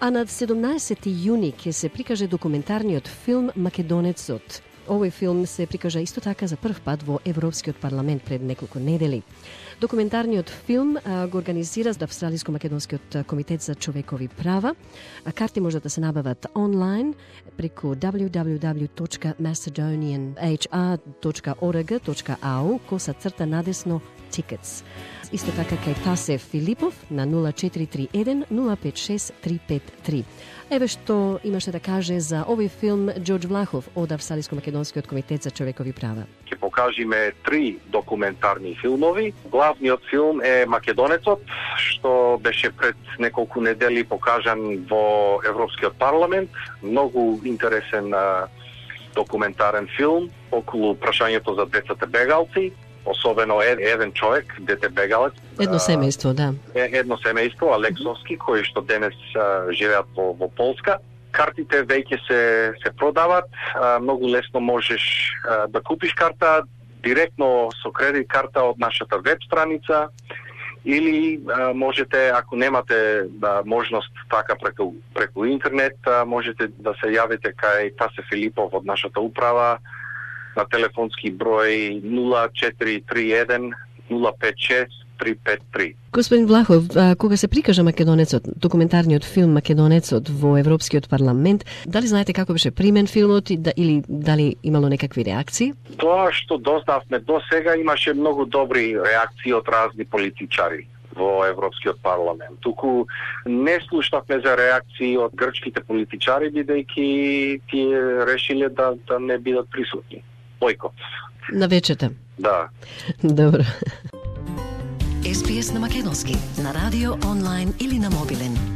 А на 17 јуни ќе се прикаже документарниот филм Македонецот. Овој филм се прикажа исто така за прв пат во Европскиот парламент пред неколку недели. Документарниот филм го организира Австралиско-македонскиот комитет за човекови права. Карти можат да се набават онлайн преку www.macedonianhr.org.au /tickets. Исто така кај Тасе Филипов на 0431 056 353. Еве што имаше да каже за овој филм Ѓорѓ Влахов од Австралиско-македонскиот комитет за човекови права. Ќе покажиме 3 документарни филмови. Главниот филм е Македонецот, што беше пред неколку недели покажан во Европскиот парламент. Многу интересен документарен филм околу прашањето за децата бегалци. Особено еден човек, дете бегалец. Едно семејство, да. Едно семејство, Алексовски, кои што денес живеат во Полска. Картите веќе се продават, многу лесно можеш да купиш карта директно со кредит карта од нашата веб страница или можете, ако немате можност така преку интернет, можете да се јавите кај Тасе Филипов од нашата управа на телефонски број 0431 056 353. Господин Влахов, кога се прикажа Македонецот, документарниот филм Македонецот во Европскиот парламент, дали знаете како беше примен филмот или дали имало некакви реакции? Тоа што дознавме до сега, имаше многу добри реакции од разни политичари во Европскиот парламент. Туку не слушнавме за реакции од грчките политичари, бидејќи тие решиле да не бидат присутни. Бойкот. На вечета. Да. Добро. SBS на македонски, на радио, онлайн или на мобилен.